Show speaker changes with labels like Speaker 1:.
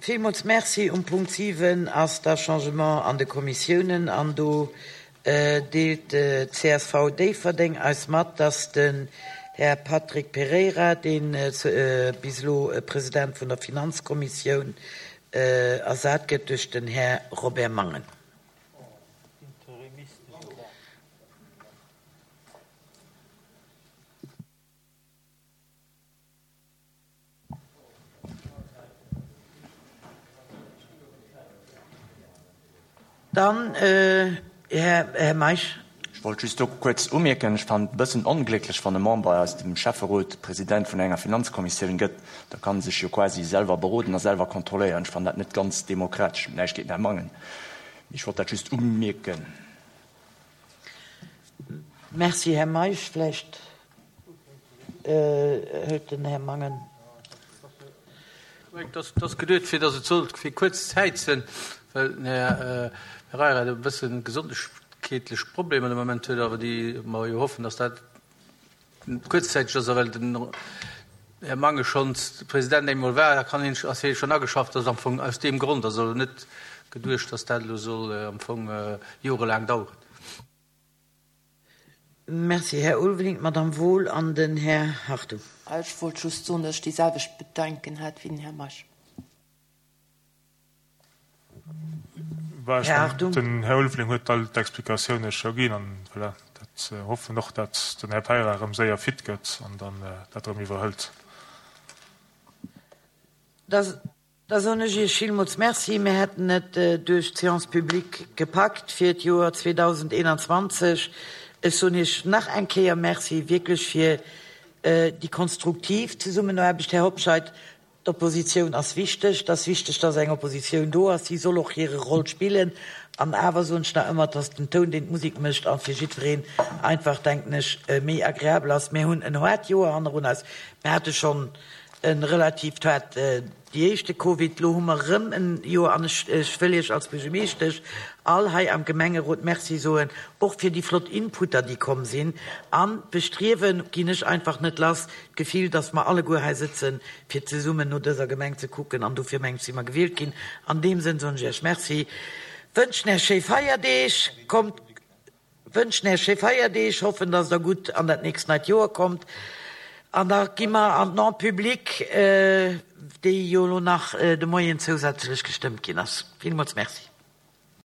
Speaker 1: Villmools Merci. Um Punkt 7 ass da Changement an de Kommissiounen an do deelt csv Déifferdeng eis mat, dass den Här Patrick Pereira, dee bis elo President vun der Finanzkommissioun, ersat gëtt duerch den Här Robert Mangen. Dann, Här Meisch.
Speaker 2: Ech wollt just do kuerz umierken, ech fannen et e bëssen onglécklech, wann e Member aus dem Schäfferot President vun enger Finanzkommissioun gëtt. Da kann e sech jo quasi selwer beroden a selwer kontrolléieren. Ech fannen dat net ganz demokratesch. Näischt géint den Här Mangen, mee ech wollt dat just umierken.
Speaker 1: Merci, Här Meisch. Vläicht hëlt den Här Mangen.
Speaker 3: Et ass geduet, fir datt et sollt fir kuerz Zäit sinn, well den Här Pereira e bësse gesondheetlech Problemer de Moment huet, awer déi mer jo hoffen, datt dat kuerzzäiteg ass. A well den Här Mangen schonns President eemol war, da kann hien, ass hie schonn ageschafft. Dat ass am Fong aus deem Grond. Ass also net geduecht, datt dat elo soll am Fong jorelaang daueren.
Speaker 1: Merci, Här Ulveling. D'Madame Wohl an den Här Hartung.
Speaker 4: Ech wollt just soen, datt ech déi selwecht Bedenken hat wéi den Här Meisch.
Speaker 1: Här Hartung.
Speaker 5: Den Här Ulveling huet all d'Explikatioune scho ginn an voilà, dat hoffen och, datt den Här Peira erëm séier fit gëtt an dann dat erëm iwwerhëlt.
Speaker 1: Da Da soen ech Iech villmools Merci. Mir hätten et duerch d'Séance publique gepackt fir d'Joer 2021. Ech soen Iech nach eng Kéier Merci wierklech fir déi konstruktiv Zesummenaarbecht. Här Hobscheit, d'Oppositioun ass wichteg. Et ass wichteg, dass eng Oppositioun do ass. Si soll och hire Roll spillen. An awer soen ech nach ëmmer, dass den Toun, deen d'Musek mécht, a fir jiddwereen einfach, denken ech, méi agreabel ass. Mir hunn en haart Joer hannerun eis. Mir hate schonn e relativt haart Déi éischte Covid, lo hu mer erëm en Joer an ech ech wëll Iech als Buergermeeschtesch all hei am Gemengerot Merci soen, och fir déi flott Inputer déi komm sinn. An d'Bestriewen ginn ech einfach net lass, d'Gefill, dass mer alleguer hei sëtzen fir zesummen no dëser Gemeng ze kucken an dofir mengen ech si mer gewielt ginn. An deem Sënn soen ech Iech Merci, wënschen Iech schéi Feierdeeg, kommt. Wënschen Äech schéi Feierdeeg, hoffen dass der gutt an dat nächst neit Joer kommt an da gi mer an d'Non publique, déi jo elo nach de Moien zousätzlech gestëmmt ginn ass. Villmools Merci.